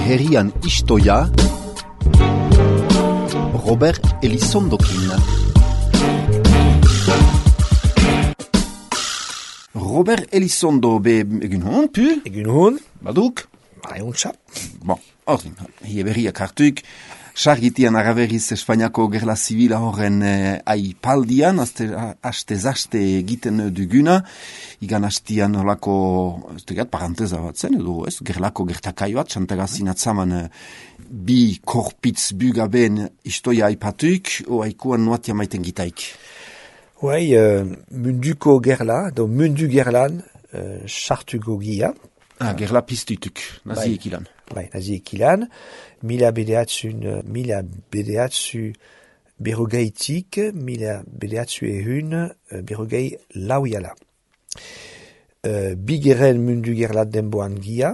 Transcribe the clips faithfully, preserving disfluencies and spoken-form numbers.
herrian istoia Robert Elizondokin. Robert Elizondo be egun hon, pu? Egun hon. Baduk? Bai, untsa. Bon, ordin, hie berriak hartuik. Sargitian araberiz Espainiako gerla zibila horren eh, aipaldian, haste-zaste egiten duguna, igan hastian holako, ez tegat, paranteza bat zen, edo ez, gerlako gertakai bat, xantagazin atzaman eh, bi korpitz bugaben istoia aipatuik, o haikuan nuatia maiten gitaik. Bai, uh, munduko gerla, do mundu gerlan, uh, sartuko gia. Ah, gerla piztutuk, naziek ilan. Bai, naziek ilan. Mila bedeatzun, mila bedeatzu berrogeitik, mila bedeatzu ehun berrogei lauiala. Uh, bigeren mundu gerlat denboan gia,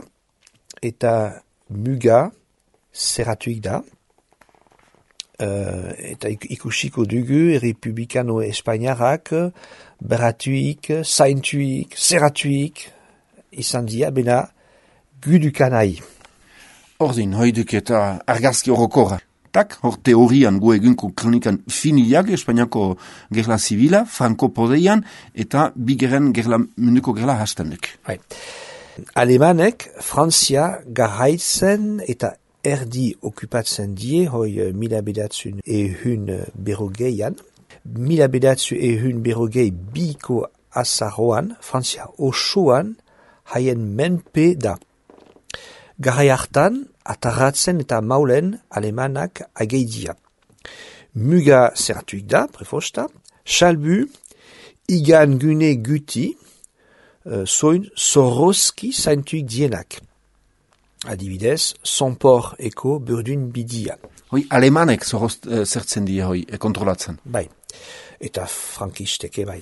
eta muga zerratuik da. Uh, eta ikusiko dugu Republikano Espainiarrak beratuik, zaintuik, zerratuik izan dia, bena gudukanai. Ordin, hoiduk eta argazki horokora. Tak, hor teorian gu egunko kronikan finiak Espainiako gerla zibila, Franco podeian, eta bigeren gerla, munduko gerla hastenduk. Bai. Alemanek Frantzia garraitzen eta erdi okupatzen die, hoi mila bedatzun ehun berrogeian. Mila bedatzu ehun berrogei biko azaroan, Frantzia osoan, haien menpe da. Garai hartan, atarratzen eta maulen alemanak ageidia. Muga zertuik da, prefosta, salbu, igan gune guti, uh, soin zorroski zaintuik dienak. Adibidez, sonpor eko burdun bidia. Hoi, alemanek zorroz uh, zertzen die, hoi, e kontrolatzen. Bai, eta frankisteke bai.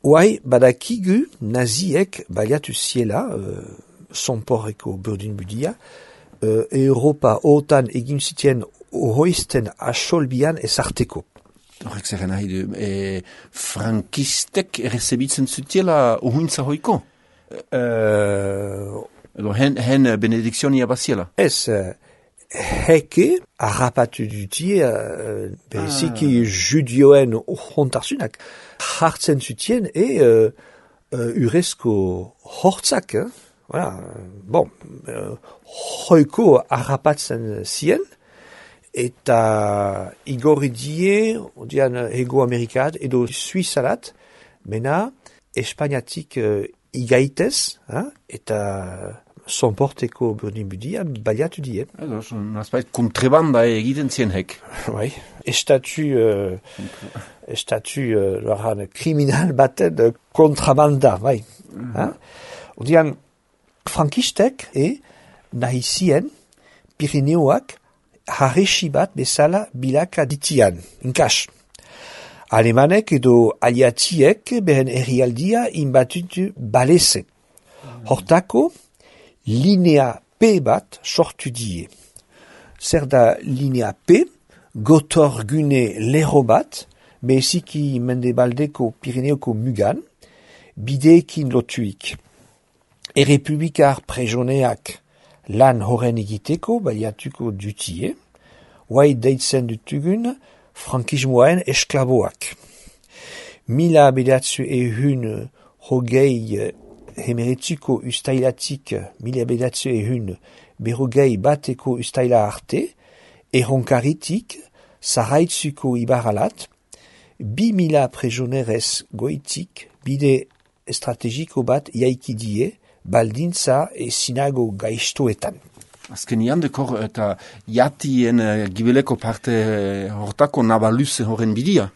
Oai, badakigu naziek baliatu ziela, uh, sonpor eko burdun bidia, uh, Europa otan egin zitien ohoizten asolbian ezarteko. Horrek zer nahi du, e, frankistek errezebitzen zutiela ohuintza hoiko? Uh, Edo hen, hen benedikzionia baziela? Ez, uh, heke harrapatu dutie, uh, beziki ah. judioen hontarsunak hartzen zutien e uh, uh, urezko hortzak, eh? Voilà. Bon, uh, hoiko harrapatzen zien, eta igorri die, odian ego amerikat, edo suizalat, mena Espainiatik uh, igaitez, eh? Eta sonporteko burdin budia baliatu die. Edo, nazpait kontrebanda egiten zien hek. Bai, estatu, uh, estatu uh, kriminal baten uh, kontrabanda, bai. Mm-hmm. Eh? Odian, frankistek e nahi zien Pirineoak harresi bat bezala bilaka ditian, inkas. Alemanek edo aliatiek beren herrialdia inbatutu baleze. Hortako, linea P bat sortu die. Zer da linea P, gotorgune lero bat, beziki mendebaldeko Pirineoko mugan, bideekin lotuik. Errepublikar prejoneak lan horren egiteko baliatuko dutie, oai deitzen dutugun frankismoaen esklaboak. Mila bedatzu ehun hogei hemeretzuko ustailatik, mila bedatzu ehun berrogei bateko ustaila arte, erronkaritik, zaraitzuko ibaralat, bi mila prejonerez goitik, bide estrategiko bat jaikidie, baldintza e sinago gaiztoetan. Azkenian dekor eta jatien uh, gibeleko parte uh, hortako nabaluze horren bidia?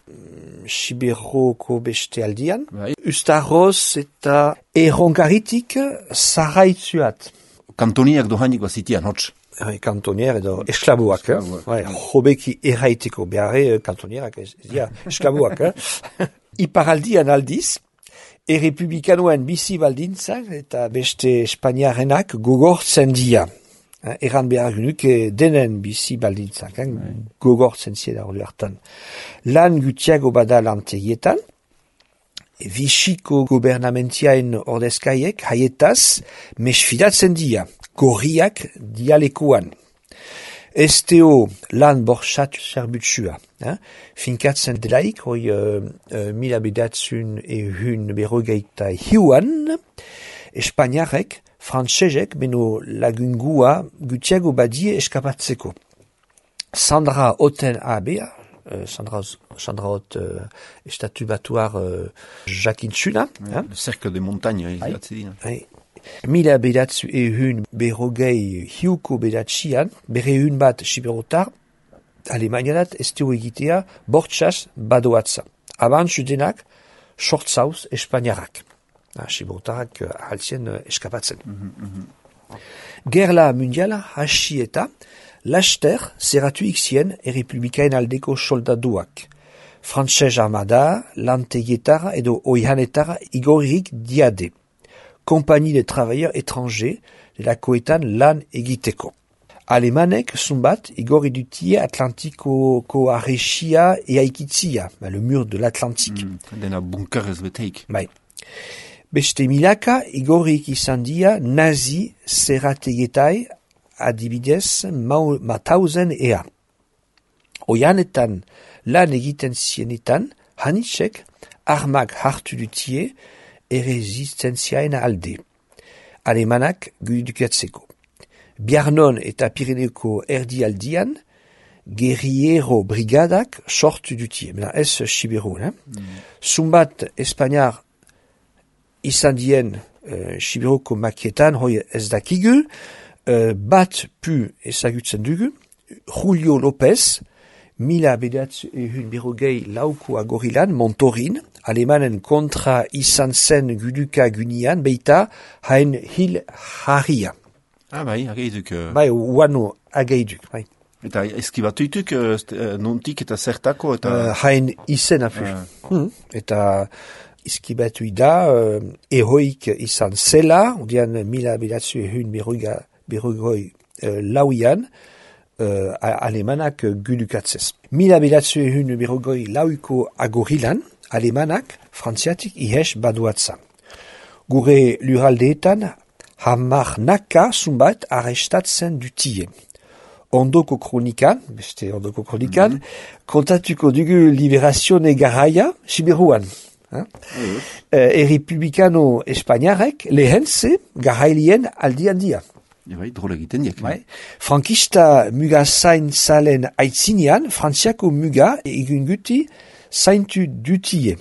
Siberroko beste aldian. Bai. Ustaroz eta erronkaritik zaraitzuat. Kantoniak dohainik bazitian, hotz? Bai, kantonier edo esklaboak. Eh? Bai, hobeki erraiteko beharre kantonierak ez dira esklaboak. Eh? Iparaldian aldiz, errepublikanoen bizi baldintzak eta beste espainiarenak gogortzen dira. Eran behar genuke denen bizi baldintzak, eh? Gogortzen ziela hori hartan. Lan gutiago bada lantegietan, Vichyko gobernamentiaen ordezkaiek haietaz mesfidatzen dia, gorriak dialekoan. Esteo lan borxat zerbutsua. Eh? Finkatzen delaik, hoi uh, uh, mila bedatzun ehun berrogeita hiuan, Espainiarek, frantsesek, beno lagungua gutiago badie eskapatzeko. Sandra Oten abea, uh, Sandra, Sandra Ot uh, estatu batuar uh, jakintsuna. Ouais, eh? Le cercle des montagnes, izatzedina. Mila bedatzu ehun berrogei hiuko bedatxian, berreun bat siberotar, Alemaniadat ez dugu egitea bortxaz badoatza. Abantzu denak, sortzauz Espainiarrak. Siberotarrak ahaltzien uh, eskapatzen. Mm -hmm. Gerla mundiala hasi eta, laster zerratu ikzien errepublikaen aldeko soldaduak. Frantses armada, lantegietara edo oihanetara igorrik diade. Compagnie de travailleurs étrangers de la koetan lan egiteko. Alemanek zumbat igorri dutie Atlantiko koaresia e aikitzia, le mur de l'Atlantique. Mm, dena bunker ez beteik. Bai. Beste milaka igorrik izan dia nazi zerrategetai adibidez matauzen ea. Oianetan lan egiten zienetan, hanitsek armak hartu dutie erresistentziaen alde. Alemanak gudukatzeko. Biarnon eta Pirineko erdialdian, guerriero brigadak sortu dutie. Mena ez Siberu, eh? Mm. Zumbat Espainiar izan dien uh, Siberuko makietan, hoi ez dakigu, uh, bat pu ezagutzen dugu, Julio López, mila bedatzu ehun berrogei lauko agorilan, Montorin, Alemanen kontra izan zen guduka gunian, beita hain hil harria. Ah, bai, ageiduk. Uh... Bai, uano ageiduk, bai. Eta eskibatuituk, uh, nontik eta zertako, eta... Uh, hain izen afu. Uh. Hmm. Eta eskibatu da, uh, ehoik izan zela, odian mila bedatzu ehun berrogei uh, lauian, uh, alemanak gudukatzez. Mila bedatzu ehun berrogei lauiko agorilan, Alemanak frantziatik ihes baduatza. Gure luraldeetan hamar naka zumbat arrestatzen dutie. Ondoko kronikan, beste ondoko kronikan, mm -hmm. kontatuko dugu liberazione garaia Siberuan. Eh? Mm -hmm. uh, Errepublikano Espainiarek lehentze garailien aldi handia. Bai, drola egiten diak. Bai. Frankista muga zain zalen aitzinean, frantziako muga egun guti zaintu dutie.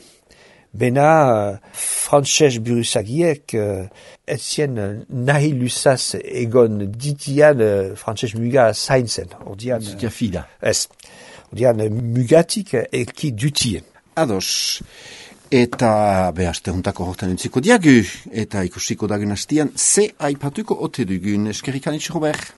Bena uh, frantses buruzagiek uh, etzien uh, nahi lusaz egon ditian uh, frantses muga zaintzen. Ordian... Zitia fida. Ez. Ordian uh, mugatik uh, elki dutie. Ados. Eta behazte juntako hortan entziko diagu. Eta ikusiko dagen hastian, ze aipatuko ote dugun. Eskerrik anitz, Robert.